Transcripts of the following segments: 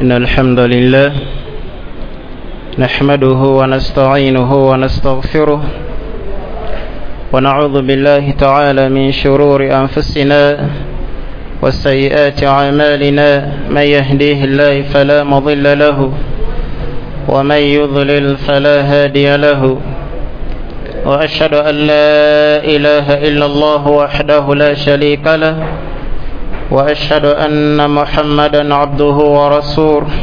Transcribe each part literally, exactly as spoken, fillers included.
إن الحمد لله نحمده ونستعينه ونستغفره ونعوذ بالله تعالى من شرور أنفسنا وسيئات أعمالنا، من يهديه الله فلا مضل له ومن يضلل فلا هادي له، وأشهد أن لا إله إلا الله وحده لا شريك له، وأشهد أن محمدا عبده ورسوله.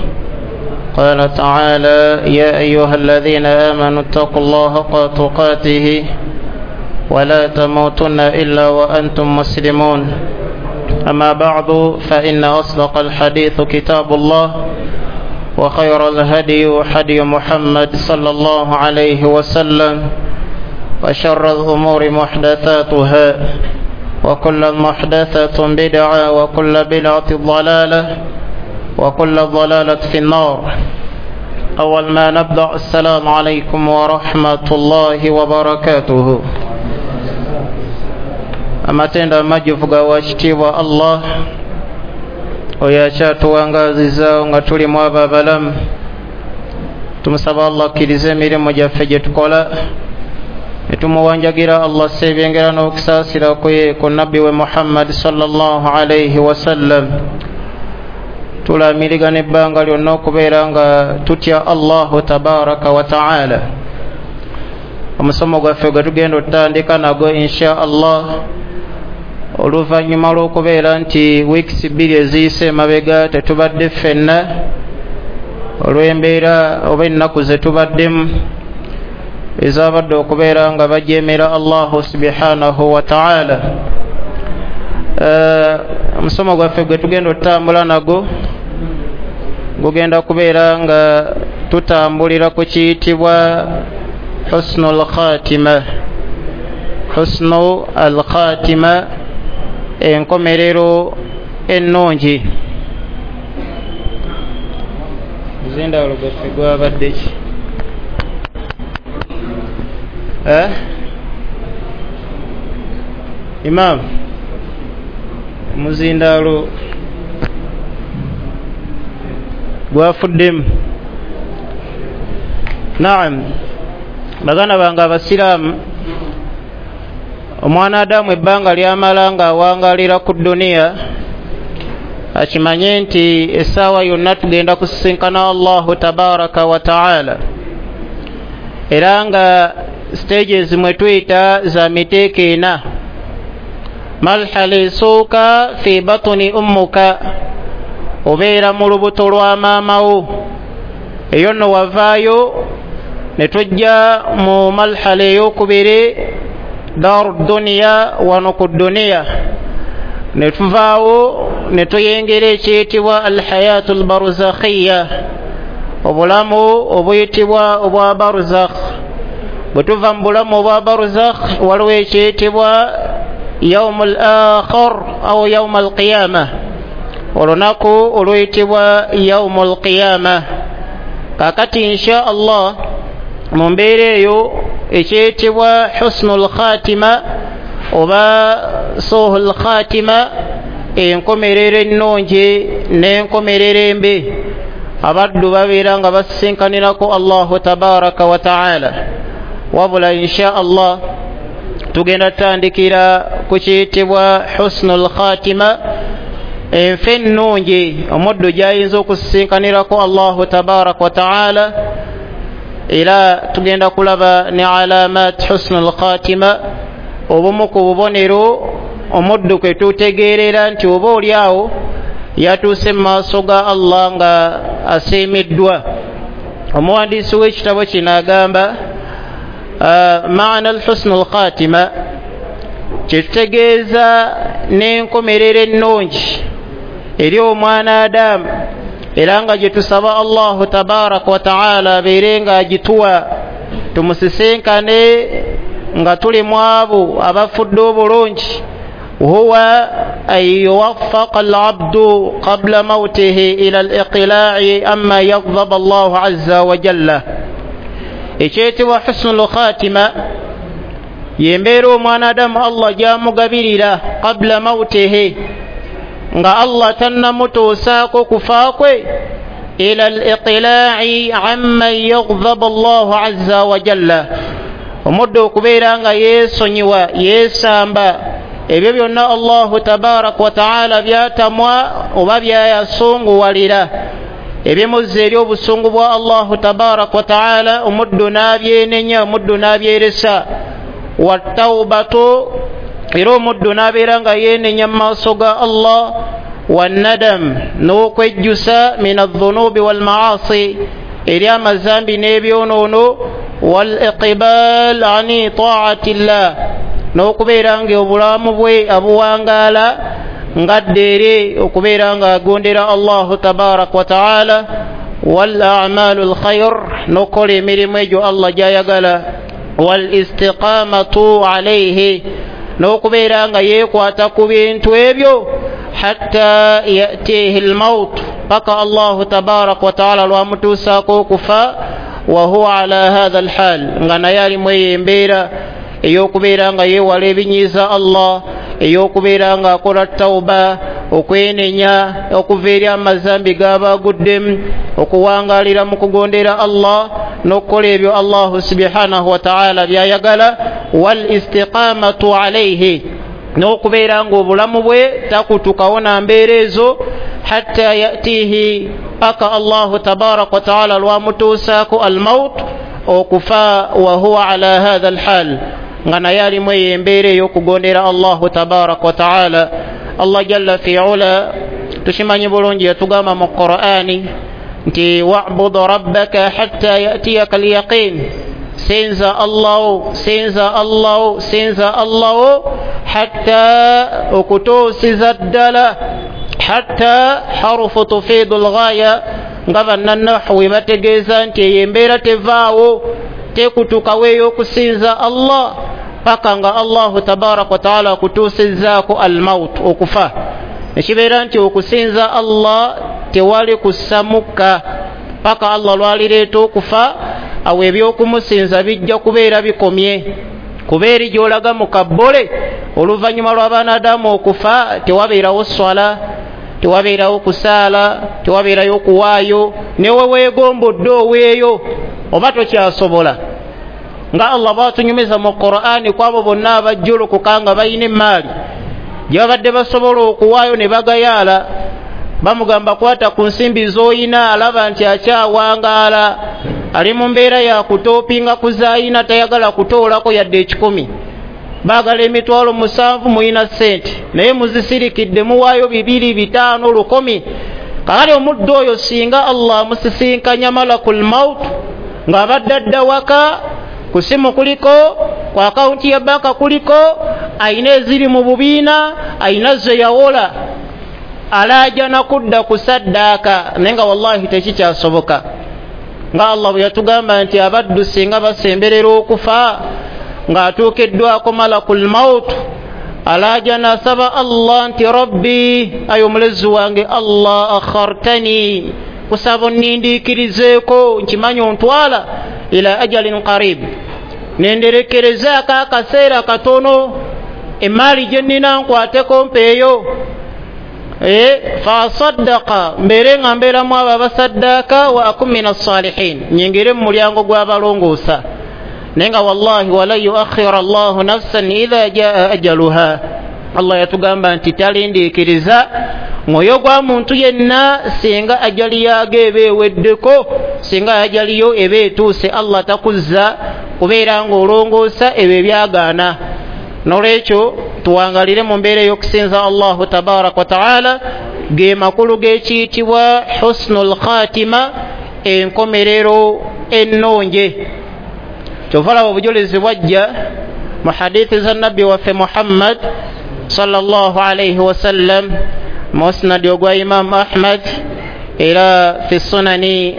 قال تعالى: يا أيها الذين آمنوا اتقوا الله حق تقاته ولا تموتن إلا وأنتم مسلمون. أما بعد، فإن أصدق الحديث كتاب الله، وخير الهدي هدي محمد صلى الله عليه وسلم، وشر الأمور محدثاتها، وكل محدثة بدعة، وكل بدعة ضلالة، وكل ضلالة في النار. أول ما نبدأ، السلام عليكم ورحمة الله وبركاته. Amatendo amajjuvu ga wakitiibwa Allah oyo akyatuwangaazizaawo nga tuli mu abo abalamu. Tumusaba Allah akkirize emirimu gyaffe gye tukola, ne tumuwanjagira Allah asse ebyengera n'okusaasira kwe ku nabbi we Muhammad sallallahu alaihi wasallam. Tulamirigana ebbanga lyonna okubeera nga tutya Allahu tabaraka wa taala. Omusomo gwaffe gwe tugenda otutandika nagwo insha Allah, oluvannyuma lw'okubeera nti wiikisi bbiri eziyise emabega tetubadde ffenna olw'embeera oba ennaku ze tubaddemu ezabadde okubeera nga bajeemera Allahu subhanahu wa taala. Omusomo gwaffe gwe tugenda otutambula nagwo gugenda kubeera nga tutambulira ku kiyitibwa husnul khatima. Husnu al khatima, enkomerero ennungi. Ez'endawulo gwaffe gwabadde ki? Eh? Imam, omuzindaalo gwafuddemu. Naam, baganda bange abasiraamu, omwana Adamu ebbanga lyamala ng'awangalira ku dduniya akimanye nti essaawa yonna tugenda kusisinkana Allahu tabaraka wa taala, era nga stages mwe tuyita za miteeko ena. Marhala esooka fi batuni ummuka, obeera mu lubuto lwa maama wo. Eyo nno wavaayo ne tujja mu marhala ey'okubiri, daaru dduniya, wano ku dduniya. Ne tuvaawo ne tuyingira ekiyitibwa alhayatu albarzakhiya, obulamu obuyitibwa obwa barzakh. Bwe tuva mu bulamu obwa barzakh waliwo ekiyitibwa yaumu al akhir au yaumu alqiyama, olunaku oluyitibwa yaumu alqiyama. Kakati insha Allah mu mbeera eyo ekiyitibwa husnul khatima oba suhul khatima, enkomerero ennungi n'enkomerero embi, abaddu babeera nga basisinkanirako Allahu tabaraka wa taala. Wabula insha Allah tugenda tutandikira ku kiyitibwa husnul khatima, enfa ennungi omuddu gy'ayinza okusisinkanirako Allahu tabaraka wa taala. Era tugenda kulaba ne alamat husnul khatima, obumu ku bubonero omuddu kwe tutegeerera nti oba oli awo yatuuse mu maaso ga Allah nga asiimiddwa. Omuwandiisi w'ekitabo kino agamba maana alhusnul khatima, kyetutegeeza n'enkomerero ennungi eri omwana Adamu, era nga gye tusaba Allahu tabaraka wa taala abeere ng'agituwa, tumusisinkane nga tuli mu abo abafudde obulungi. Huwa an yuwaffaqa al-abdu qabla mawtihi ila al-iqlaa'i amma yaghdaba Allahu azza wa jalla. Ekyetibwa husnul khatima y'embeera omwana Adamu Allah gy'amugabirira qabla mawtihi, nga Allah tannamutuusaako kufa kwe, Ila al-iqla'i amman yaghdhabu Allahu azza wa jalla, omuddu okubeera nga yeesonyiwa, yeesamba ebyo byonna Allahu tabaraka wa taala byatamwa oba byayasunguwalira, ebimuzza eri obusungu bwa Allahu tabaraka wa taala, omuddu n'abyenenya, omuddu n'abyeresa. Wattaubatu, era omuddu n'abeera nga yeenenya mu maaso ga Allah. Wannadam, n'okwejjusa, min adhunubi walmaasi, eri amazambi n'ebyonoono. Wal iqbal ani taati llah, n'okubeera nga obulamu bwe abuwangaala ngadde eri okubeera nga agondera Allahu tabaraka wa taala. Wal a'malu lkhair, n'okukola emirimu egyo Allah gy'ayagala. Wal istiqamatu alayhi, n'okubeera nga yeekwata ku bintu ebyo hatta yatihi lmaut, paka Allahu tabaraka wa taala lwamutuusaako okufa. Wahuwa ala hatha alhal, nga naye alimu eyo embeera ey'okubeera nga yeewala ebinyiiza Allah, ey'okubeera nga akola tauba, okwenenya okuva eri amazambi g'aba aguddemu, okuwangaalira mu kugondera Allah n'okukola ebyo Allahu subhanahu wa taala by'ayagala. Wal istiqamatu alayhi, n'okubeera ng'obulamu bwe takutukawo na mbeera ezo hatta yatihi, paka Allahu tabaraka wa taala lwamutuusaako almaut, okufa. Wahuwa ala hatha alhal, nga naye alimu eyo embeera ey'okugondera Allahu tabaraka wa taala. Allah jalla fi ula tukimanyi bulungi yatugamba mu Qur'ani nti wa'bud rabbaka hatta yatiyaka alyaqin, sinza Allahu, sinza Allahu, sinza Allahu hatta okutuusiza ddala. Hatta harufu tufiidu lghaya, nga bannanahwi bategeeza nti eyo embeera tevaawo, tekutukawo ey'okusinza Allah paka nga Allahu tabaraka wa taala akutuusizzaako almaut, okufa. Nekibeera nti okusinza Allah tewali kusamukka paka Allah lwalireeta okufa, awo ebyokumusinza bijja kubeera bikomye. Kuba eri gy'olaga mu kabbole oluvannyuma lw'abaana okufa tewabeerawo swala, tewabeerawo kusaala, tewabeerayo kuwaayo, newe weegombodde oweeyo oba tokyasobola. Nga Allah bw'atunyumiza mu Qur'ani kwabo bonna abajjulukuka nga balina emaali gye babadde basobola okuwaayo ne bagayaala, bamugamba kwata ku nsimbi z'oyina, alaba nti akyawangaala, ali mu mbeera ya kutoopinga ku zaayina, tayagala kutoolako yadde ekikumi. Baagala emitwalo musanvu muyina ssente, naye muzisirikidde muwaayo bibiri bitaano lukumi. Kakati omuddu oyo singa Allah amusisinkanya malakul maut ng'abadde adda waka, ku simu kuliko, ku akawunti ya banka kuliko, ayina eziri mu bubiina, ayina ze yawola, alaajana kudda ku saddaaka, naye nga wallahi tekikyasoboka. Nga Allah bwe yatugamba nti abaddu singa basemberera okufa ng'atuukiddwako malakul maut, alaajana asaba Allah nti rabbi, ayi omulezi wange Allah, akhartani, kusaba onnindiikirizeeko, nkimanyi ontwala ila ajalin qarib, nenderekerezaako akaseera katono, emaali gye nnina nkwateko mpeeyo, fasaddaqa, mbeere nga mbeeramu abo abasaddaaka, wa akun min assalihin, nyingire mu mulyango gw'abalongoosa. Naye nga wallahi walan yuakhira Allahu nafsan idha jaa ajaluha, Allah yatugamba nti talindiikiriza mwoyo gwa muntu yenna singa ajali yaago eba eweddeko, singa ajaliyo eba etuuse, Allah takuzza kubeera ng'olongoosa ebyo ebyagaana. Nolwekyo tuwangalire mu mbeera ey'okusinza Allahu tabaraka wa taala, ge makulu g'ekiyitibwa husnul khatima, enkomerero ennungi. Kyova olaba obujulizi bwajja mu hadithi za nabbi waffe Muhammad sallallahu alayhi wasallam, musnadi ogwa Imamu Ahmad, era fi sunani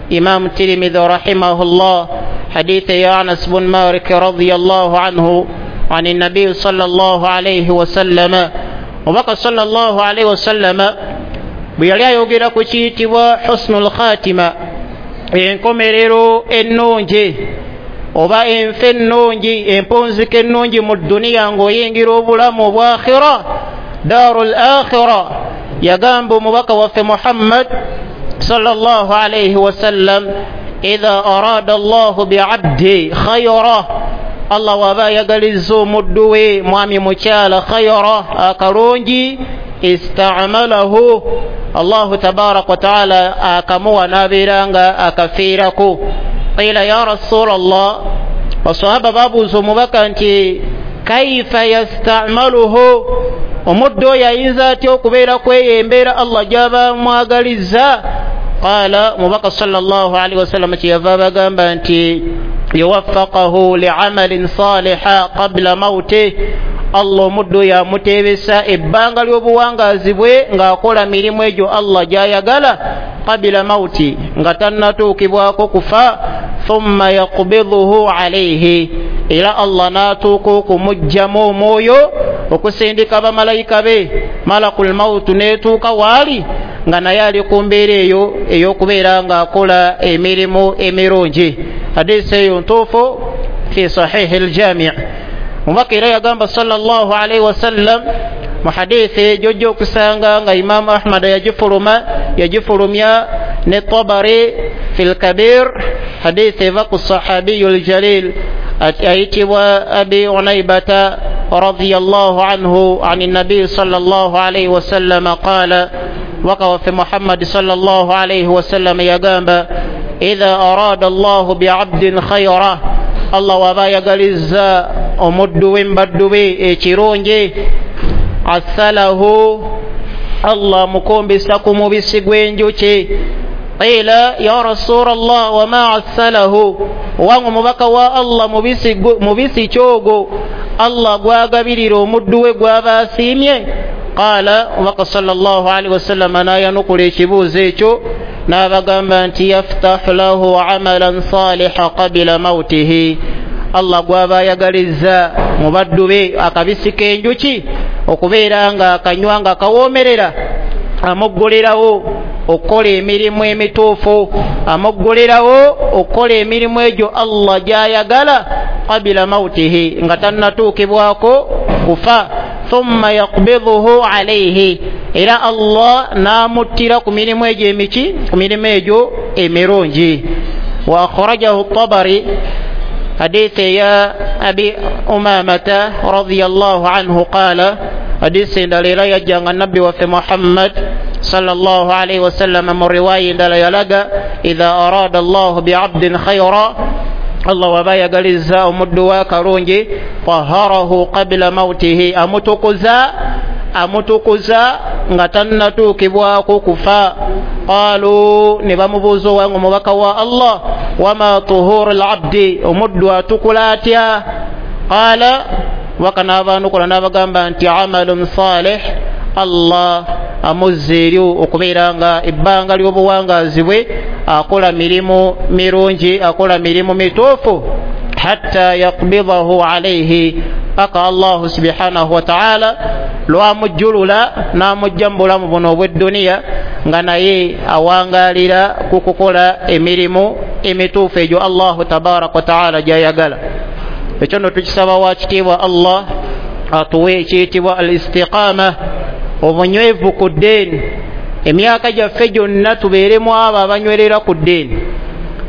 Imamu Tirmidhi rahimahullah, hadithi ya Anas bun Malik radiyallahu anhu عن النبي صلى الله عليه وسلم. Omubaka sallallahu alaihi wasallama bwe yali ayogera ku kiyitibwa husnul khatima, enkomerero ennungi oba enfa ennungi, empunzika ennungi mu dduniya ng'oyingira obulamu obwa akhira, daarul akhira, yagamba omubaka waffe Muhammad Sallallahu alayhi wasallam, idha arada Allahu bi'abdi khayra, Allah waba ayagalizza omuddu we mwami mukyala khayra akalungi, ista'malahu, Allahu tabaraka wa ta'ala akamuwa n'abeera nga akafiirako. Qila ya Rasulallah, basahaba babuuza omubaka nti kaifa yasta'maluhu, omuddu oyo ayinza atya okubeera kweyo embeera Allah gy'aba amwagalizza? Qala, mubaka sallallahu alaihi wasallam kyeyava abagamba nti yuwaffaqahu li'amalin saliha qabla mawtih, Allah omuddu oyo amuteebesa ebbanga ly'obuwangaazi bwe ng'akola mirimu egyo Allah gy'ayagala qabila mawti, nga tannatuukibwako kufa. Thumma yaqbiduhu alayhi, era Allah n'atuuka okumuggyamu omwoyo okusindika bamalayika be malakul mawutu n'etuuka waali nga naye ali ku mbeera eyo ey'okubeera ng'akola emirimu emirungi. Hadisi eyo ntuufu fi sahihi ljami. Mubaka era yagamba sallallahu alaihi wasallam mu hadithi gyojja okusanga nga Imamu Ahmad yagifuluma yagifulumya ne Tabari fi lkabir, hadithi eva ku sahabiyu ljalil ayitibwa Abi Unaibata radiyallahu anhu an nabi sallallahu alaihi wasallam qala, waka waffe Muhammad sallallahu alaihi wasallam yagamba idha arada Allahu bi'abdin khayra, Allah waba ayagalizza omuddu we mbaddu be ekirungi, asalahu, Allah amukumbisa ku mubisi gw'enjuki. Qila ya Rasulallah wama asalahu, owange omubaka wa Allah mubisi kyogo Allah gwagabirira omuddu we gw'aba asiimye? Qala, omubaka sallallahu alaihi wasallam n'ayanukula ekibuuzo ekyo n'abagamba nti yaftahu lahu amalan saliha qabila mautihi, Allah gw'aba ayagalizza mu baddu be akabisi k'enjuki okubeera nga akanywa nga kawoomerera, amuggulirawo okukola emirimu emituufu, amuggulirawo okukola emirimu egyo Allah gy'ayagala qabila mautihi, nga tannatuukibwako kufa. Thumma yaqbiduhu alayhi, era Allah n'amuttira ku mirimu egyo emiki, ku mirimu egyo emirungi. Wa akhrajahu Tabari hadithi ya Abi Umamata radiyallahu anhu qala, hadithi endala era yajjanga nabbi waffe Muhammad sallallahu alaihi wasallam mu riwaya endala yalaga idha arada Allahu bi'abdin khayra, Allah waba ayagalizza omuddu we akalungi, taharahu qabila mautihi, amutukuza amutukuza nga tannatuukibwako kufa. Qalu, ne bamubuuza owange omubaka wa Allah, wama tuhuru labdi, omuddu atukula atya? Qala, waka n'abaanukula n'abagamba nti amalun salih, Allah amuzza eri okubeera nga ebbanga ly'obuwangaazi bwe akola mirimu mirungi, akola mirimu mituufu, hatta yaqbidahu alayhi, paka Allahu subhanahu wa ta'ala lwamujjulula n'amujja mu bulamu buno obw'edduniya nga naye awangaalira ku kukola emirimu emituufu egyo Allahu tabaraka wa ta'ala gy'ayagala. Ekyo nno tukisaba wa kitiibwa Allah atuwe ekiyitibwa al istiqama, obunywevu ku ddiini. Emyaka gyaffe gyonna tubeeremu abo abanywerera ku ddiini,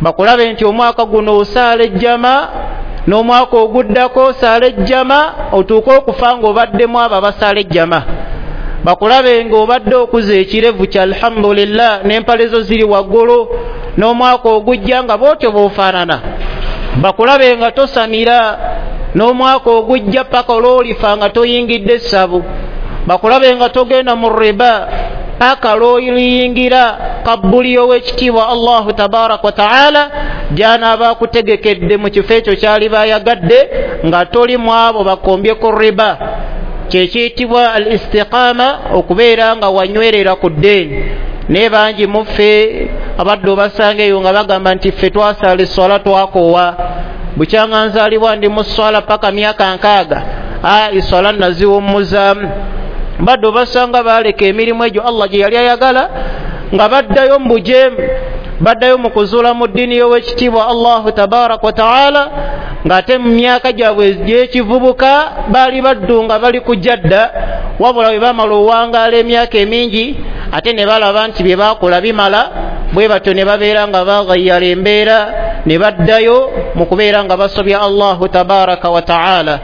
bakulabe nti omwaka guno osaala ejjama n'omwaka oguddako osaala ejjama, otuuke okufa ng'obaddemu abo abasaala ejjama. Bakulabe ng'obadde okuza ekirevu kya alhamdulillah n'empale zo ziri waggulu, n'omwaka ogujja nga bw'otyo bw'ofaanana. Bakulabe nga tosamira, n'omwaka ogujja paka olw'olifa nga toyingidde essabu. Bakulabe nga togenda mu riba paka lw'oliyingira kabbuli ow'ekitiibwa Allahu tabaraka wa ta'ala gy'anaaba akutegekedde mu kifo ekyo ky'aliba ayagadde nga toli mu abo bakombye ku riba. Kyekiyitibwa al istiqama, okubeera nga wanywerera ku ddiini. Naye bangi muffe abadde obasanga eyo nga bagamba nti ffe twasaala esswala twakoowa, bukyanga nzaalibwa ndi mu sswala paka myaka nkaaga, aa esswala naziwummuzaamu. Badde obasanga baaleka emirimu egyo Allah gye yali ayagala nga baddayo mu bujeemu, baddayo mu kuzuula mu ddiini y'owekitiibwa Allahu tabaraka wa ta'ala, ng'ate mu myaka gyabwe gy'ekivubuka baali baddu nga bali kujja dda, wabula bwe bamala owangaala emyaka emingi ate ne balaba nti bye baakola bimala, Bwe batyo ne babeera nga baghayyala embeera ne baddayo mu kubeera nga basobya Allahu tabaraka wa taala.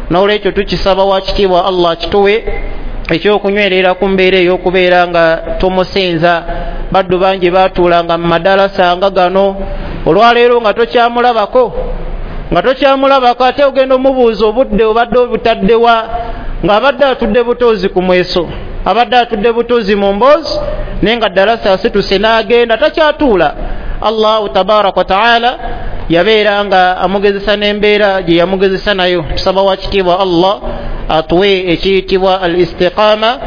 N'olwekyo tukisaba wakitiibwa Allah kituwe ekyokunywerera ku mbeera ey'okubeera nga tumusinza. Baddu bangi baatuulanga mu madalasa nga gano, olwaleero nga tokyamulabako nga tokyamulabako ate ogenda omubuuza obudde obadde obutaddewa, ng'abadde atudde butuuzi ku mweso, abadde atudde butuuzi mu mboozi, naye nga ddalasa asituse n'agenda takyatuula. Allahu tabaraka wa taala yabeera nga amugezesa n'embeera gye yamugezesa nayo. Tusaba wakitiibwa Allah atuwe ekiyitibwa al istiqama,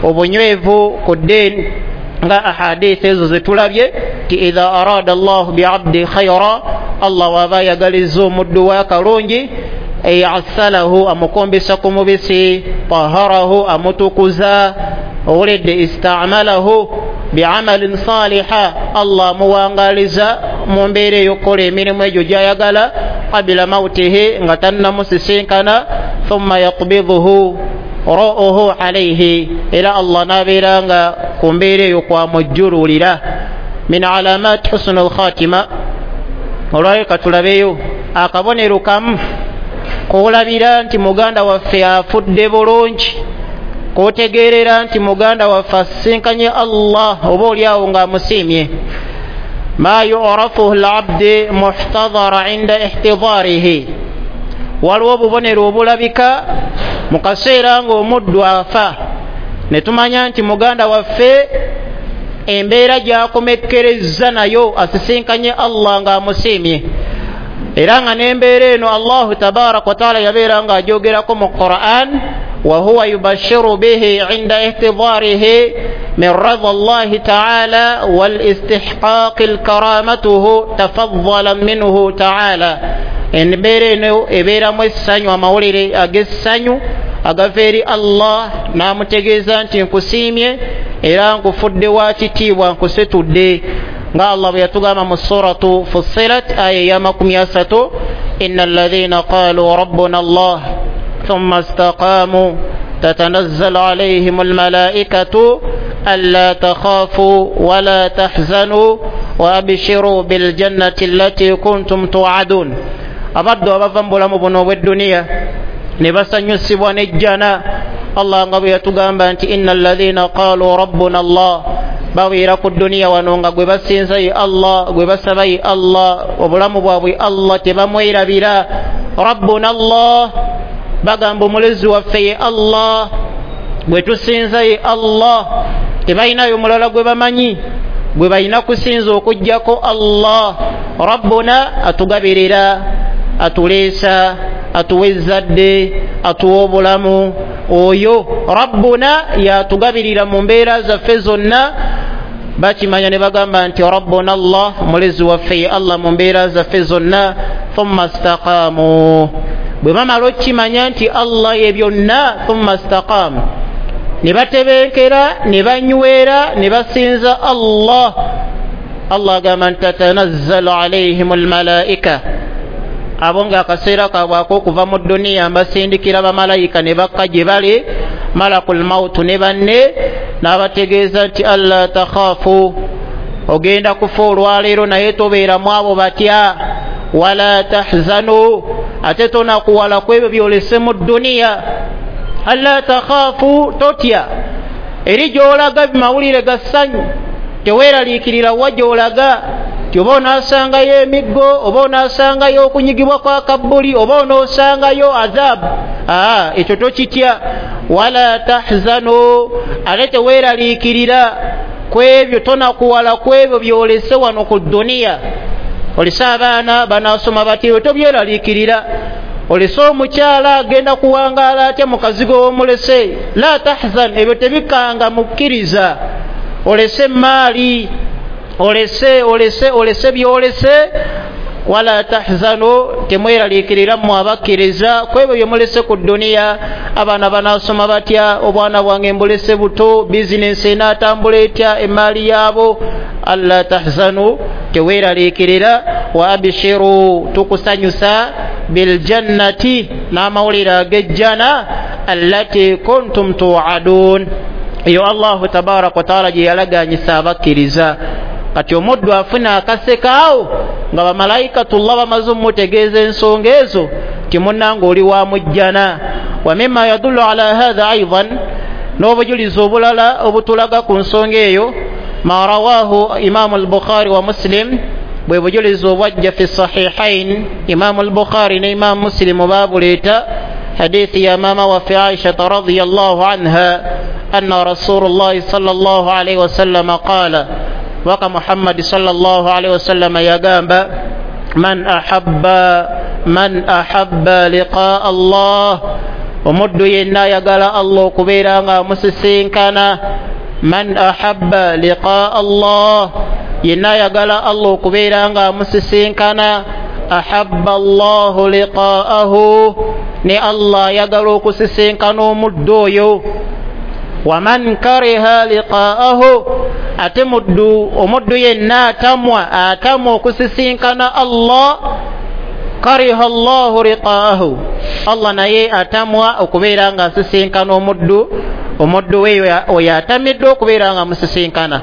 obunywevu ku ddiini, nga ahadithi ezo zetulabye ti idha arada Allahu biabdi khayra, Allah waba ayagalizza omuddu we akalungi, ayassalahu, amukombesa ku mubisi, taharahu, amutukuza, owuledde istamalahu biamalin saliha, Allah amuwangaliza mu mbeera ey'okukola emirimu egyo gy'ayagala, qabila mautihi, nga tannamusisinkana, thumma yaqbiduhu ro'uhu alayhi, era Allah n'abeera nga ku mbeera eyo kwamujjululira. Min alamat husnu lkhatima, olwayo katulabeyo akabonero kamu koolabira nti muganda waffe afudde bulungi, kotegeerera nti muganda waffe asisinkanye Allah oba oliawo ng'amusiimye. Ma yurafuhu labdi muhtadara inda ihtidarihi, waliwo obubonero obulabika mu kaseera ng'omuddu afa, ne tumanya nti muganda waffe embeera gy'akomekkerezza nayo asisinkanye Allah ng'amusiimye. Era nga n'embeera eno Allahu tabaraka wa taala yabeera ng'ajogerako mu Quran, wa huwa yubashiru bihi inda ihtidarihi min radha Allahi taala wal istihqaqi lkaramatuhu tafaddalan minhu taala. Embeera eno ebeeramu essanyu, amawulire ag'essanyu agava eri Allah, n'amutegeeza nti nkusiimye era nkufudde wa kitiibwa, nkusetudde, nga Allah bwe yatugamba mu suratu Fussilat aya eya makumi asatu, inna alladhina qalu rabbuna Allah thumma istaqamu tatanazzalu alayhim almalaikatu alla takhafu wala tahzanu wa abshiru biljannati allati kuntum tu'adun. Abaddu abava mu bulamu buno obw'edduniya ne basanyusibwa n'ejjana, Allah nga bwe yatugamba nti inna alladhina qalu rabbuna Allah, babeera ku dduniya wano nga gwe basinza ye Allah, gwe basaba ye Allah, obulamu bwabwe Allah tebamwerabira. Rabbuna Allah, bagamba omulezi waffe ye Allah, gwe tusinza ye Allah, tebalinayo mulala gwe bamanyi gwe balina kusinza okuggyako Allah. Rabbuna atugabirira, atuleesa, atuwa ezzadde, atuwa obulamu. Oyo Rabbuna yatugabirira mu mbeera zaffe zonna. Bakimanya ne bagamba nti Rabbuna Allah, omulezi waffe ye Allah mu mbeera zaffe zonna. Thumma istaqamu, bwe bamala okukimanya nti Allah ye byonna, thumma istaqamu, ne batebenkera, ne banywera, ne basinza Allah. Allah agamba nti tatanazzalu alaihim almalaika, abo ng'akaseera kaabwe ak'okuva mu dduniya mbasindikira bamalayika ne bakka gye bali, malakul mautu ne banne, n'abategeeza nti alla takhaafu, ogenda kufa olwaleero naye tobeeramu abo batya, wala tahzanu, ate tonakuwala ku ebyo byolese mu dduniya. Alla takhaafu, totya, eri gy'olaga mawulire ga ssanyu, teweeraliikirira wa gy'olaga ti oba onaasangayo emiggo, oba onaasangayo okunyigibwa kwa kabbuli, oba onoosangayo azaabu. Aa, ekyo tokitya. Wala tahzanu, ate teweeraliikirira ku ebyo, tonakuwala ku ebyo byolese wano ku dduniya. Olese abaana banaasoma batya, tobyeraliikirira. Olese omukyala agenda kuwangaala atya mu kazigo w'omulese, la tahzan, ebyo tebikanga mukkiriza. Olese emaali, olese olese olese byolese, wala tahzanu, temweraliikirira mmwe abakkiriza ku ebyo bye mulese ku dduniya. Abaana banaasoma batya, obwana bwange mbulese buto, bizinensi enaatambula etya, emaali yaabo. Alla tahzanu, teweeraliikirira. Wa abshiru, tukusanyusa, biljannati, n'amawulire ag'ejjana, allati kuntum tuadun, eyo Allahu tabaraka wa taala gye yalaganyisa abakkiriza. Kati omuddu afuna akasekaawo nga bamalayikatullah bamaze omutegeeza ensonga ezo ti munnange oli wa mujjana. Wa mimma yadullu ala hatha aidan, n'obujulizi obulala obutulaga ku nsonga eyo, ma rawahu Imamu al-Bukhari wa Muslim, bwe bujulizi obwajja fi sahihain, Imamu al-Bukhari ne Imamu Muslimu baabuleeta, hadithi ya maama waffe Aishata radiyallahu anha anna Rasulullahi sallallahu alaihi wasallam qala, waka Muhammad sallallahu alaihi wasallam yagamba, man ahabba man ahabba liqaa Allah, omuddu yenna ayagala Allah okubeera nga amusisinkana. Man ahabba liqaa Allah, yenna ayagala Allah okubeera nga amusisinkana. Ahabba Allahu liqaahu, ne Allah ayagala okusisinkana omuddu oyo. Waman kariha liqaahu, ate muddu omuddu yenna atamwa atamwa okusisinkana Allah, kariha Allahu liqaahu, Allah naye atamwa okubeera nga asisinkana omuddu omuddu we oyo atamiddwa okubeera nga amusisinkana.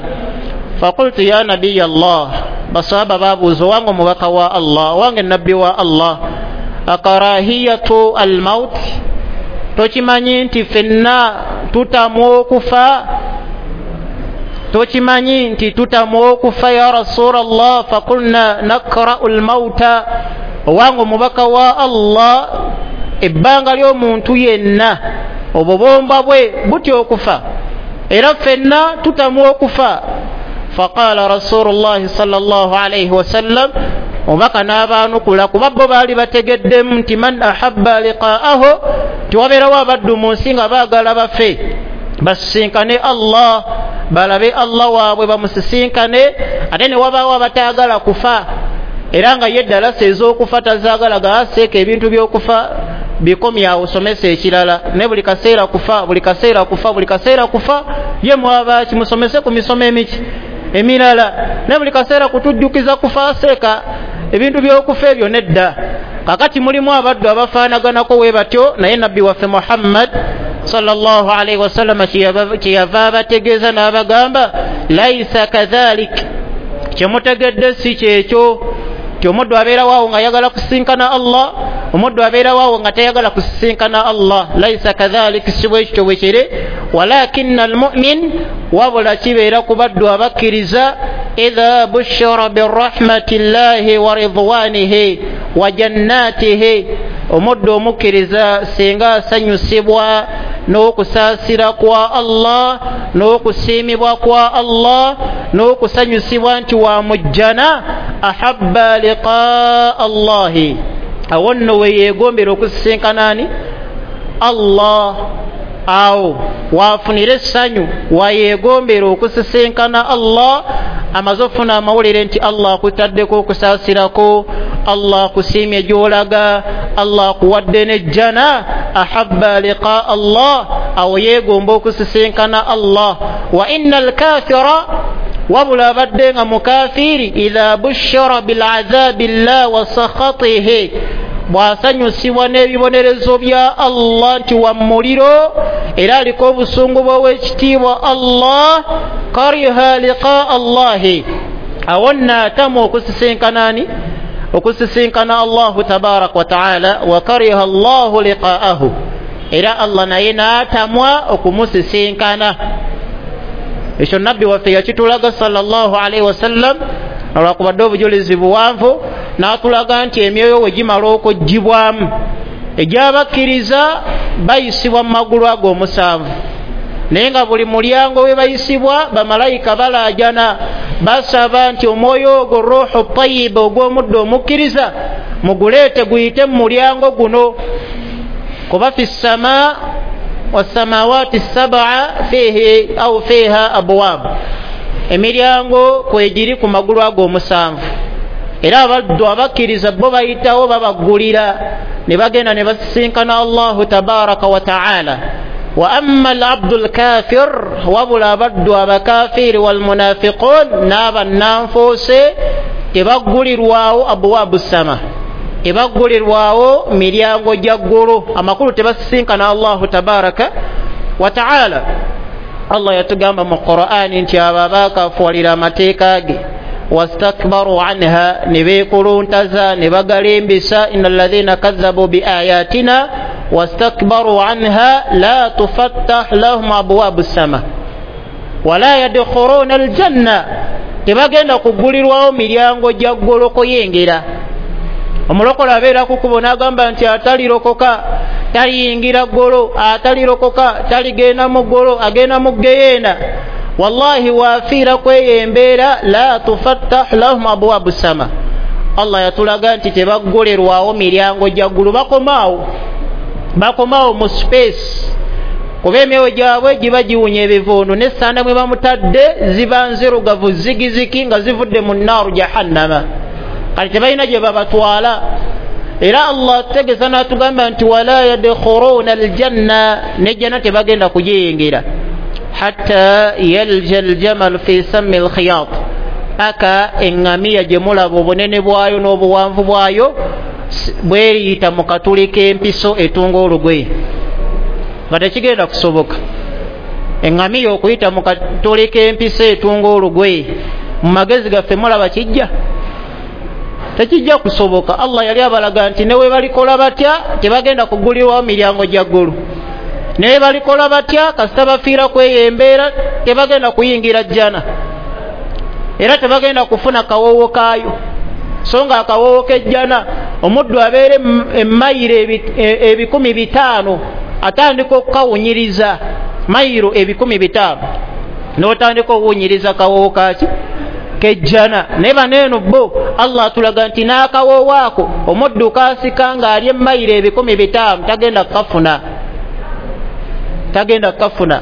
Faqultu ya nabiya Allah, basahaba babuuza, owange omubaka wa Allah, owange nabbi wa Allah, akarahiyatu almaut, tokimanyi nti ffenna tutamwa okufa? Tokimanyi nti tutamwa okufa ya Rasulallah? Faqulna nakra'u almauta, owange omubaka wa Allah, ebbanga ly'omuntu yenna obubomba bwe butya okufa, era ffenna tutamwa okufa. Faqala Rasulullahi sallallahu alaihi wasallam, omubaka n'abaanukula, kuba bo baali bategeddemu nti man ahabba liqaahu, tiwabeerawo abaddu mu nsi nga baagala bafe basisinkane Allah, balabe Allah waabwe bamusisinkane, ate ne wabaawo abataagala kufa, era nga ye ddalasa ez'okufa tazaagala, gaaseeka ebintu by'okufa bikomyawo somesa ekirala, ne buli kaseera kufa, buli kaseera kufa, buli kaseera kufa, ye mwaba kimusomese ku misomo emiki emirala, ne buli kaseera kutujjukiza kufa, aseeka ebintu by'okufa ebyo nedda. Kakati mulimu abaddu abafaanaganako we batyo, naye nabbi waffe Muhammad sallallahu alaihi wasallam kyeyava abategeeza n'abagamba, laisa kadhalik, kyemutegedde si kyekyo ti omuddu abeerawo awo ng'ayagala kusisinkana Allah, omuddu abeerawo awo nga tayagala kusisinkana Allah. Laisa kadhalik, si bwe kityo bwe kiri. Walakinna almu'min, wabula kibeera ku baddu abakkiriza, idha bushira birahmati llahi wa ridwanihi wa jannatihi, omuddu omukkiriza singa asanyusibwa n'okusaasira kwa Allah n'okusiimibwa kwa Allah n'okusanyusibwa nti wa mujjana, ahabba liqaa Allahi, awo nno we yeegombera okusisinkana ani? Allah. Awo waafunira essanyu, wayeegombera okusisinkana Allah, amaze ofuna amawulire nti Allah akutaddeko okusaasirako, Allah akusiimye gy'olaga, Allah akuwadde n'ejjana, ahabba liqaa Allah, awo yeegomba okusisinkana Allah. Wa inna alkafira, wabula abadde nga mukafiiri, idha bushira bil'adhabi llah wa sakhatihi, bw'asanyusibwa n'ebibonerezo bya Allah nti wa muliro, era aliko obusungu bw'owekitiibwa Allah, kariha liqaa Allahi, awo nno atamwa okusisinkana ani? Okusisinkana Allahu tabaraka wa taala. Wa kariha Allahu liqaahu, era Allah naye n'atamwa okumusisinkana. Ekyo nabbi waffe yakitulaga sallallahu alaihi wasallam, olwakubadde obujulizi buwanvu, n'atulaga nti emyoyo we gimala okuggyibwamu, egy'abakkiriza bayisibwa mu magulu ago omusanvu, naye nga buli mulyango we bayisibwa bamalayika balaajana, basaba nti omwoyo ogwo ruhu tayiba ogw'omuddu omukkiriza muguleete guyite mu mulyango guno, kuba fi ssama wassamawati sab'a fihi au fiha abwab, emiryango kwegiri ku magulu ago omusanvu, era abaddu abakkiriza bo bayitawo babaggulira ne bagenda ne basisinkana Allahu tabaraka wa taala. Wa amma alabdu alkafir, wabula abaddu abakafiiri walmunafiqun n'abannanfuuse tebaggulirwawo abwabu ssama, tebaggulirwawo miryango gya ggulu, amakulu tebasisinkana Allahu tabaraka wa taala. Allah yatugamba mu Qur'ani nti abo abaakafuwalira amateeka ge Wastakbaru anha, ne beekuluntaza ne bagalimbisa. Inna alladhina kadhabu biayatina wastakbaru anha la tufattah lahum abwabu sama wala yadkhuluna aljanna, tebagenda kugulirwawo miryango gya ggulu kuyingira. Omulokole abeera ku kkubo n'agamba nti atalirokoka taliyingira ggulu, atalirokoka taligenda mu ggulu, agenda mu geyeena. Wallahi waafiira kweyo embeera, la tufattah lahum abwabu sama. Allah yatulaga nti tebaggulirwawo miryango gya ggulu, bakomaawo bakomaawo mu space, kuba emyoyo gyabwe giba giwunya ebivuundu, n'essanda mwe bamutadde ziba nzirugavu zigiziki nga zivudde mu naaru jahannama. Kati tebalina gye babatwala. Era Allah ategeeza n'atugamba nti wala yadkhuluna aljanna, n'ejjana tebagenda kugiyingira, hatta yalja aljamal fi sammi alkhiyat, paka eŋŋamiya gye mulaba obunene bwayo n'obuwanvu bwayo bweriyita mu katuli k'empiso etunga olugoye. Nga tekigenda kusoboka eŋŋamiya okuyita mu katuli k'empiso etunga olugoye. Mu magezi gaffe mulaba kijja? Tekijja kusoboka. Allah yali abalaga nti ne we balikola batya tebagenda kugulirwawo miryango gya ggulu, ne we balikola batya kasita bafiira kweyo embeera tebagenda kuyingira jjana, era tebagenda kufuna kawoowo kaayo. So nga akawoowo k'ejjana omuddu abeera emayiro ebikumi bitaano atandika okukawunyiriza, mayiro ebikumi bitaano n'otandika okuwunyiriza kawoowo kaki kejjana. Naye baneeno bo Allah atulaga nti n'akawoowo ako omuddu kaasika ng'ali emayiro ebikumi bitaano tagenda kukafuna, tagenda kukafuna.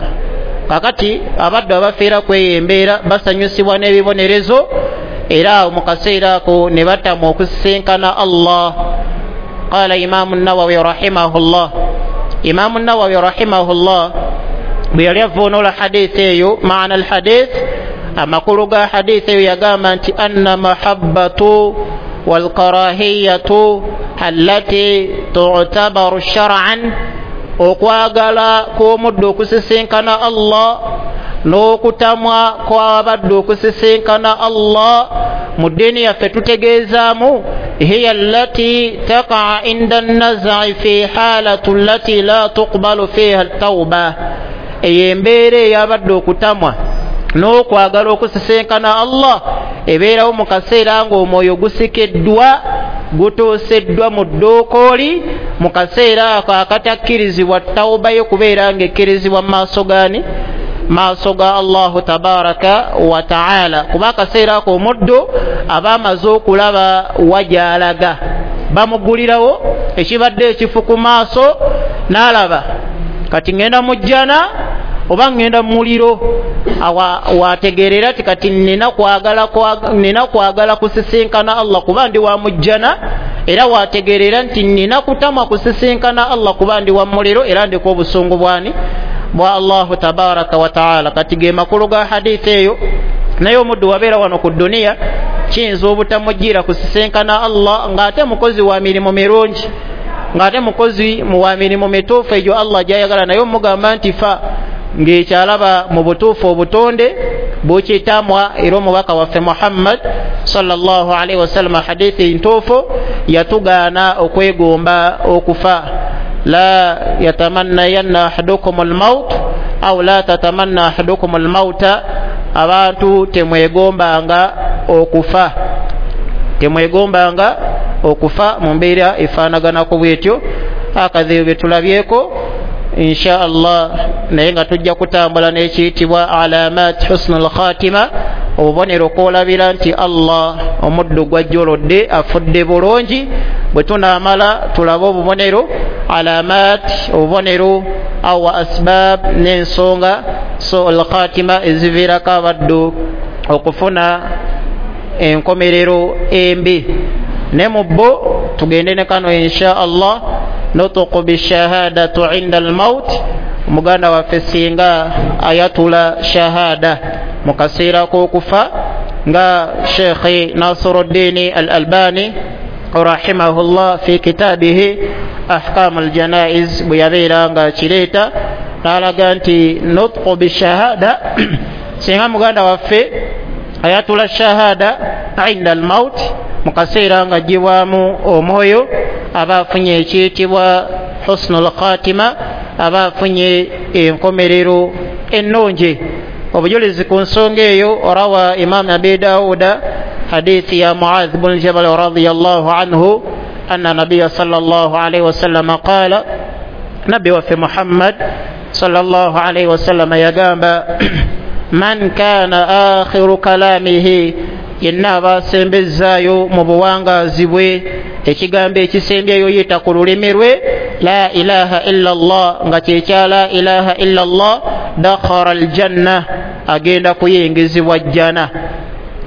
Kakati abaddu abafiira kweyo embeera basanyusibwa n'ebibonerezo, era mu kaseera ako ne batamwa okusisinkana Allah. Qala Imamu Nawawi rahimahullah, Imamu Nawawi rahimahullah bwe yali avvuunula hadithi eyo, maana alhadith, amakulu ga hadithi eyo, yagamba nti anna mahabbatu walkarahiyatu allati tu'tabaru shar'an, okwagala kw'omuddu okusisinkana Allah n'okutamwa kw'abaddu okusisinkana Allah mu ddiini yaffe tutegeezaamu hiya allati taqa inda an-naz'i fi halatu allati la tuqbalu fiha at-tauba, eyo embeera ey'abaddu okutamwa n'okwagala okusisinkana Allah ebeerawo mu kaseera ng'omwoyo gusikeddwa gutuuseddwa mu ddookooli, mu kaseera ako akatakkirizibwa tawuba yo kubeera ng'ekkirizibwa mu maaso gaani? Maaso ga Allahu tabaraka wa taala. Kuba akaseera ako omuddu aba amaze okulaba wa gy'alaga, bamugulirawo ekibadde ekifu ku maaso n'alaba kati ŋŋenda mu jjana oba ŋŋenda mu muliro. Wategeerera ti kati nina kwagala nina kwagala kusisinkana Allah kuba ndi wa mu jjana, era wategeerera nti nina kutamwa kusisinkana Allah kuba ndi wa muliro, era ndiko obusungu bwani bwa Allahu tabaraka wa taala. Kati ge makulu ga hadithi eyo. Naye omuddu wabeera wano ku dduniya kiyinza obutamujjira kusisinkana Allah ng'ate mukozi wa mirimu mirungi, ng'ate mukozi wa mirimu mituufu egyo Allah gy'ayagala, naye omugamba nti fa ng'ekyalaba mu butuufu obutonde bukitamwa. Era omubaka waffe Muhammad sallallahu alaihi wasallam hadithi ntuufu yatugaana okwegomba okufa. La yatamannayanna ahadukum almaut au la tatamanna ahadukum almauta, abantu temwegombanga okufa, temwegombanga okufa mu mbeera efaanaganako bwetyo. Akazibu bye tulabyeko insha Allah, naye nga tujja kutambula n'ekiyitibwa alamat husnul khatima, obubonero kwolabira nti Allah omuddu gwajjolodde afudde bulungi. Bwe tunaamala tulabe obubonero alamat, obubonero awa asbab n'ensonga so al khatima eziviirako abaddu okufuna enkomerero embi. Ne mu bo tugende ne kano insha Allah, nutuqu bishahadatu inda almaut, muganda waffe singa ayatula shahada mu kaseera k'okufa nga Sheikh Nasiruddin Al-Albani rahimahullah fi kitabihi Ahkam al-Janaiz bwe yabeera nga kireeta n'alaga nti nutqu bishahada, singa muganda waffe ayatula shahada inda almaut, mu kaseera nga aggyibwamu omwoyo aba afunye ekiyitibwa husnul khatima, aba afunye enkomerero ennungi. Obujulizi ku nsonga eyo rawa Imam Abi Dawuda hadithi ya Muadh bun Jabal radiyallahu anhu anna nabiya sallallahu alayhi wasallam qala, nabbi waffe Muhammad sallallahu alayhi wasallam yagamba man kana akhiru kalamihi, yenna aba asembezaayo mu buwangaazi bwe ekigambo ekisembyeyo yita ku lulimi lwe la ilaha illa Allah, nga kyekya la ilaha illa Allah, dakhara aljanna, agenda kuyingizibwa jjana.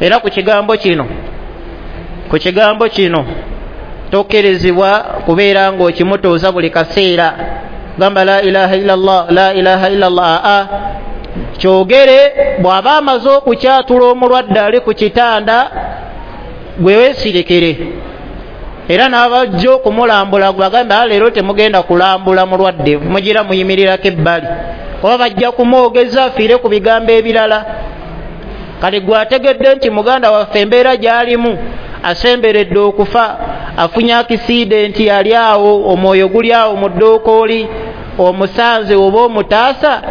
Era ku kigambo kino ku kigambo kino tokkirizibwa kubeera ng'okimutuuza buli kaseera, gamba la ilaha illa Allah, la ilaha illa Allah. Aa, kyogere bw'aba amaze okukyatula omulwadde ali ku kitanda, gwe weesirikire. Era n'abajja okumulambula bagambe leero temugenda kulambula mulwadde, mugira muyimirirako ebbali, oba bajja kumwogeza afiire ku bigambo ebirala. Kale gwe ategedde nti muganda waffe embeera gy'alimu asemberedde okufa, afunye akisidenti, ali awo omwoyo guli awo mu ddookooli, omusanze oba omutaasa,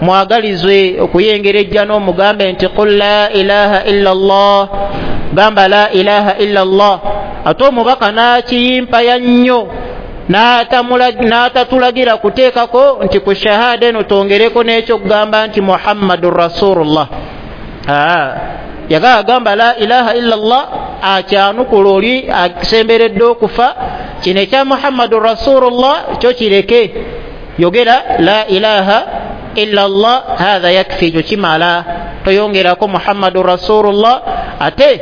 mwagalizwe okuyengera ejja n'omugambe nti qul la ilaha illa Allah, gamba la ilaha illa Allah. Ate omubaka n'akiyimpaya nnyo n'atatulagira kuteekako nti ku shahada eno twongereko n'ekyokugamba nti Muhammadun Rasulullah. Yagala agamba la ilaha illa Allah, akyanukula oli asemberedde okufa, kino ekya Muhammadun Rasulullah kyo kireke, yogera la ilaha illa Allah, hatha yakfi, ekyo kimala, toyongerako Muhammadun Rasulullah. Ate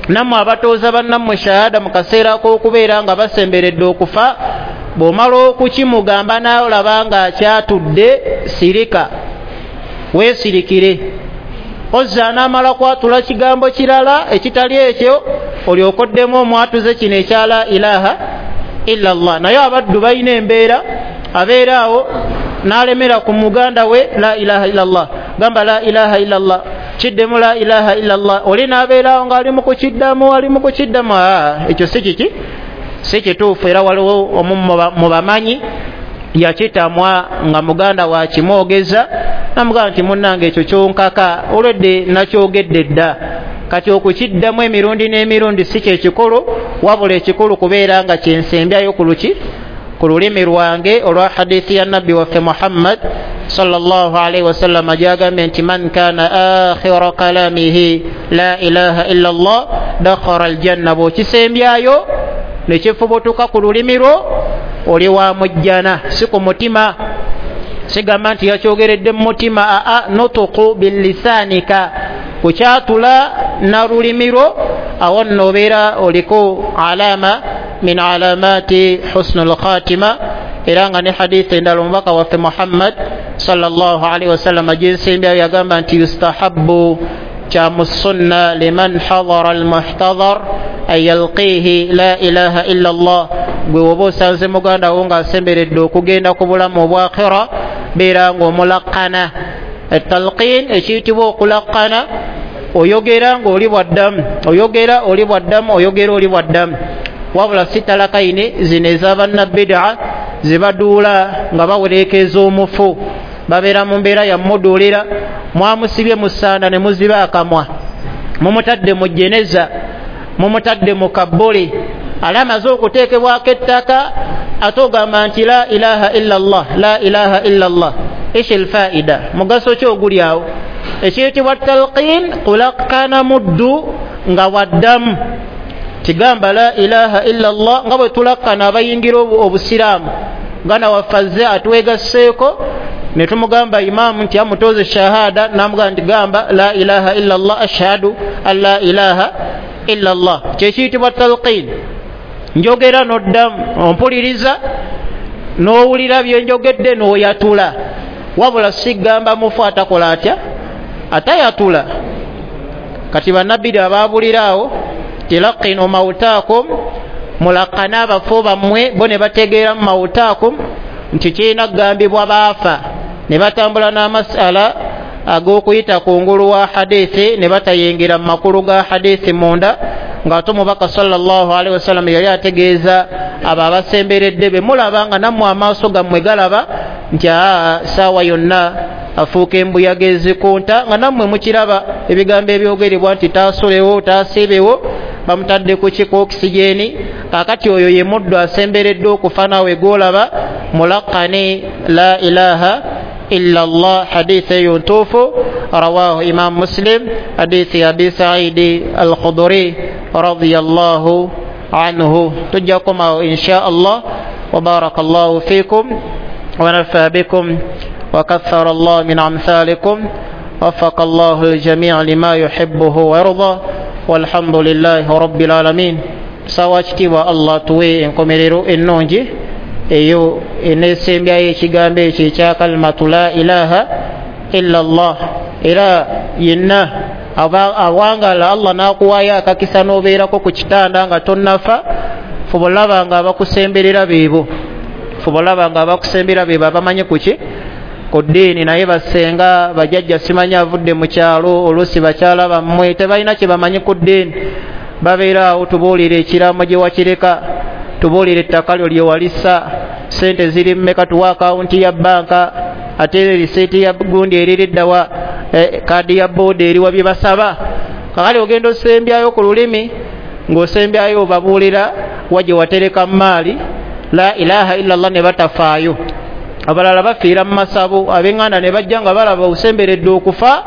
nammwe abatooza bannammwe shahada mu kaseera k'okubeera nga basemberedde okufa, bw'omala okukimugamba n'olaba ng'akyatudde, sirika, weesirikire. Ozza anaamala kwatula kigambo kirala ekitali ekyo, olyoke oddemu omwatuze kino ekya la ilaha illa Allah. Naye abaddu balina embeera, abeera awo n'alemera ku muganda we la ilaha illa Allah, gamba la ilaha illa Allah, kiddemu la ilaha illa Allah, oli n'abeerawo ng'ali mu kukiddamu, ali mu kukiddamu. Ekyo si kiki, si kituufu. Era waliwo omu mu bamanyi yakitamwa nga muganda wakimwogeza, namugamba nti munnange ekyo kyonkaka olwedde nakyogedde dda. Kati okukiddamu emirundi n'emirundi si kyekikulu, wabula ekikulu kubeera nga kyensembyayo ku luki ku lulimi lwange olwa hadithi ya nabbi waffe Muhammad sallallahu alayhi wasallam gyagambye nti man kana akhira kalamihi la ilaha illa Allah dakhara aljanna. Bw'okisembyayo ne kifubutuka ku lulimi lwo, oli wa mujjana, si ku mutima. Sigamba nti yakyogeredde mu mutima, aa, nutuku billisanika, kukyatula na lulimi lwo, awo nno obeera oliko alama min alamati husnul khatima. Era nga ne hadithi endala omubaka waffe Muhammad sallallahu alaihi wasallam gyensembyayo yagamba nti yustahabbu kya mu sunna liman hadara almuhtadhar an yalqihi la ilaha illa Allah. Gwe woba osanze muganda wo ng'asemberedde okugenda ku bulamu obw'akhira, beera ng'omulakana. Etalqin ekiyitibwa okulakana, oyogera ng'oli bwaddamu, oyogera oli bwaddamu, oyogera oli bwaddamu. Wabula si talakaini zino ez'abannabbidaa zibaduula nga bawereekeza omufu, babeera mu mbeera yamuduulira, mwamusibye mu ssanda ne muziba akamwa, mumutadde mu jeneza, mumutadde mu kabbuli, ale amaze okuteekebwako ettaka, ate ogamba nti la ilaha illa Allah, la ilaha illa Allah. Ishi lfaida, mugaso ki oguli awo? Ekiyitibwa talqin, kulakana muddu nga waddamu, kigamba la ilaha illa Allah, nga bwe tulakana abayingira obusiraamu. Gana waffe azze atwegasseeko ne tumugamba imaamu nti amutoze shahada, namugamba nti gamba la ilaha illa Allah, ashhadu an la ilaha illa Allah. Kyekiyitibwa talqin, njogera n'oddamu, ompuliriza n'owulira byenjogedde n'oyatula. Wabula sigamba mufu atakola atya, atayatula. Kati bannabbiri abaabulira awo tilaqinu mautaakum, mulakana abafu bammwe, bo ne bategeera mu mautaakum nti kirina kugambibwa baafa, ne batambula n'amasala ag'okuyita kungulu wa hadithi ne batayingira mu makulu ga hadithi munda, ng'ate omubaka sallallahu alaihi wasallam yali ategeeza abo abasemberedde be mulaba nga nammwe amaaso gammwe galaba nti aa saawa yonna afuuka embuyaga ezikunta, nga nammwe mukiraba ebigambo ebyogerebwa nti taasulewo taasiibewo, bamutadde ku ki ku okisigeni. Kaakati oyo ye muddu asemberedde okufa naawe gw'olaba mulaqani la ilaha illa Allah. Hadithi eyo ntuufu, rawahu Imam Muslim, hadithi ya Abi Saidi al-Khudri radiyallahu anhu. Tujja kukomawo insha Allah. Wa barakallahu fikum wa nafa bikum wa kathara Allah min amthalikum, wafaqa Allahu al-jami'a lima yuhibbuhu wa yarda, walhamdulillahi rabbil alamin. Sawa kitiibwa Allah tuwe enkomerero ennungi eyo eneesembyayo ekigambo ekyo ekya kalimatu la ilaha illa Allah. Era yenna awangala Allah n'akuwaayo akakisa n'obeerako ku kitanda nga tonnafa, fuba olaba nga abakusemberera beebo, fuba olaba nga abakusemberera beebo abamanyi ku ki ku ddiini. Naye basenga bajjajja simanyi avudde mu kyalo, oluusi bakyala bammwe tebalina kye bamanyi ku ddiini, babeera awo tubuulire ekiraamo gye wakireka, tubuulire ettaka lyo lye walissa, ssente ziri mmeka, tuwa akawunti ya bbanka, ate riseeti ya gundi eririddawa, kaadi ya booda eriwa, bye basaba. Kakale ogenda osembyayo ku lulimi ng'osembyayo obabuulira wa gye watereka maali la ilaha illa Allah, ne batafaayo. Abalala bafiira mu masabo, ab'eŋŋanda ne bajja nga balaba osemberedde okufa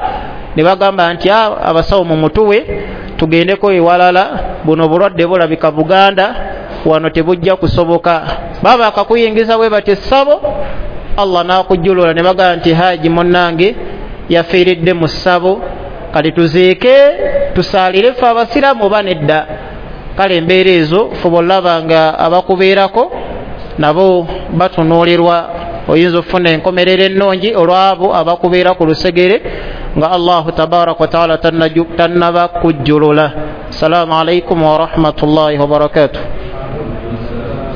ne bagamba nti abasawo mumutuwe tugendeko ewalala, buno obulwadde bulabika Buganda wano tebujja kusoboka. Baba akakuyingiza bwe bati essabo, Allah n'akujjulula ne bagamba nti haji munnange yafiiridde mu ssabo, kale tuziike tusaalire ffe abasiraamu oba nedda. Kale embeera ezo fuba olaba nga abakubeerako nabo batunuulirwa, oyinza okufuna enkomerero ennungi olw'abo abakubeera ku lusegere nga Allahu tabaraka wa taala tannaba kujjulula. Assalamu alaikum warahmatullahi wabarakatuh.